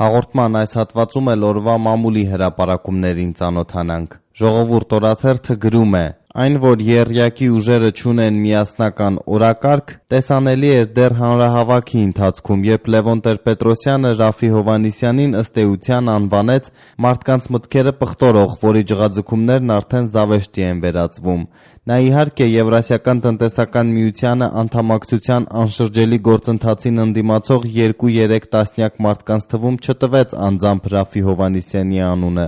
Հաղորդման այս հատվածում էլ օրվա մամուլի հրապարակումներին ծանոթանանք։ Ժողովուրդ օրաթերթը գրում է. Այն, որ եռյակի ուժերը չունեն միասնական օրակարգ, տեսանելի էր դեռ հանրահավաքի ընթացքում, երբ Լևոն Տեր-Պետրոսյանը Ռաֆֆի Հովհաննիսյանին ըստ էության անվանեց մարդկանց մտքերը պղտորող, որի ջղաձգումներն արդեն զավեշտի են վերածվում։ Նա իհարկե Եվրասիական տնտեսական միությանը անդամակցության անշրջելի գործընթացին ընդդիմացող 2-3 տասնյակ մարդկանց թվում չտվեց անձամբ Ռաֆֆի Հովհաննիսյանի անունը,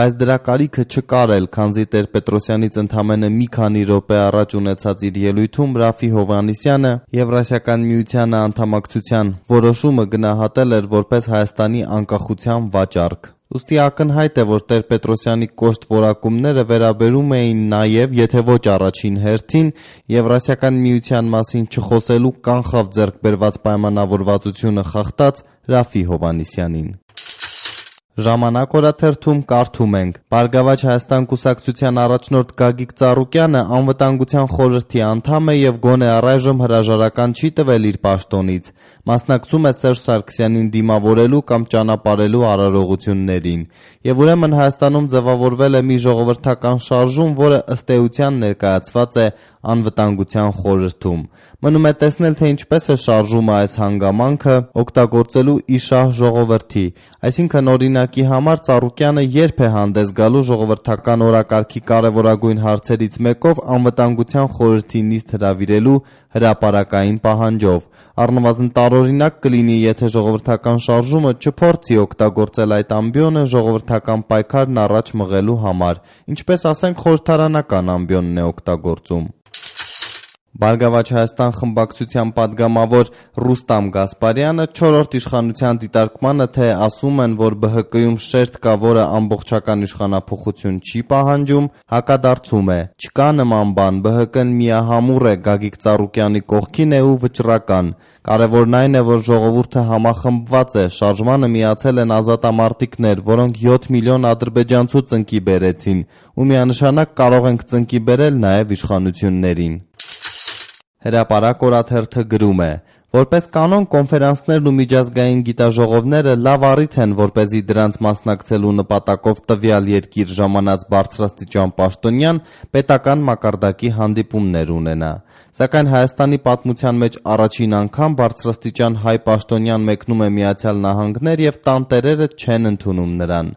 բայց դրա կարիքը չկար էլ, քանզի Տեր-Պետրոսյանից ընդամենը մի քանի րոպե առաջ ունեցած իր ելույթում Ռաֆֆի Հովհաննիսյանը Եվրասիական միությանը անդամակցության որոշումը գնահատել էր որպես Հայաստանի անկախության վաճառք։ Ուստի ակնհայտ է, որ Տեր-Պետրոսյանի կոշտ որակումները վերաբերում էին նաև, եթե ոչ առաջին հերթին, Եվրասիական միության մասին չխոսելու կանխավ ձեռք բերված պայմանավորվածությունը խախտած Ռաֆֆի Հովհաննիսյանին։ Ժամանակ օրաթերթում կարդում ենք. Բարգավաճ Հայաստան կուսակցության առաջնորդ Գագիկ Ծառուկյանը անվտանգության խորհրդի անդամ է և գոնե առայժմ հրաժարական չի տվել իր պաշտոնից։ Մասնակցում է Սերժ Սարգսյանին դիմավորելու կամ ճանապարհելու արարողություններին։ Եվ ուրեմն Հայաստանում ձևավորվել է մի ժողովրդական շարժում, որը ըստ էության ներկայացված է անվտանգության խորհրդում։ Մնում է տեսնել, թե ինչպես է շարժումը այս հանգամանքը օգտագործելու իշահ ժողովրդի, այսինքն օրինակի համար Ծառուկյանը երբ է հանդես գալու ժողովրդական օրակարգի կարևորագույն հարցերից մեկով անվտանգության խորհրդի նիստ հրավիրելու հրապարակային պահանջով։ Առնվազն տարօրինակ կլինի, եթե ժողովրդական շարժումը չփորձի օգտագործել այդ ամբիոնը ժողովրդական պայքարն առաջ մղելու համար, ինչպես ասենք խորհրդարանական ամբիոնն է օգտագործում։ Բարգավաճ Հայաստան խմբակցության պատգամավոր Ռուստամ Գասպարյանը 4-րդ իշխանության դիտարկմանը, թե ասում են, որ ԲՀԿ-ում շերտ կա, որը ամբողջական իշխանափոխություն չի պահանջում, հակադարձում է. չկա նման բան, ԲՀԿ-ն միահամուռ է, Գագիկ Ծառուկյանի կողքին է ու վճռական։ Կարևորն այն է, որ ժողովուրդը համախմբված է, շարժմանը միացել են ազատամարտիկներ, որոնք 7 միլիոն ադրբեջանցու ծնկի բերեցին, ու միանշանակ կարող ենք ծնկի բերել նաև իշխանություններին։ Հրապարակ օրաթերթը գրում է. Որպես կանոն կոնֆերանսներն ու միջազգային գիտաժողովները լավ առիթ են, որպեսզի դրանց մասնակցելու նպատակով տվյալ երկիր ժամանած բարձրաստիճան պաշտոնյան պետական մակարդակի հանդիպումներ ունենա։ Սակայն Հայաստանի պատմության մեջ առաջին անգամ բարձրաստիճան հայ պաշտոնյան մեկնում է Միացյալ Նահանգներ և տանտերերը չեն ընդունում նրան։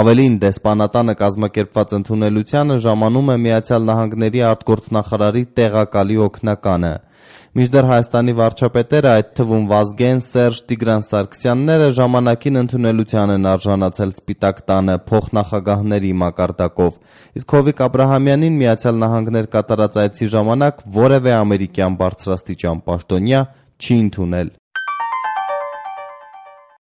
Ավելին, դեսպանատանը կազմակերպված ընդունելությանը ժամանում է Միացյալ Նահանգների արտգործնախարարի տեղակալի օգնականը։ Մինչդեռ Հայաստանի վարչապետերը, այդ թվում Վազգեն, Սերժ, Տիգրան Սարգսյանները ժամանակին ընդունելության են արժանացել Սպիտակ տանը փոխնախագահների մակարդակով, իսկ Հովիկ Աբրահամյանին Միացյալ Նահանգներ կատարած այցի ժամանակ որևէ ամերիկյան բարձրաստիճան պաշտոնյա չի ընդունել։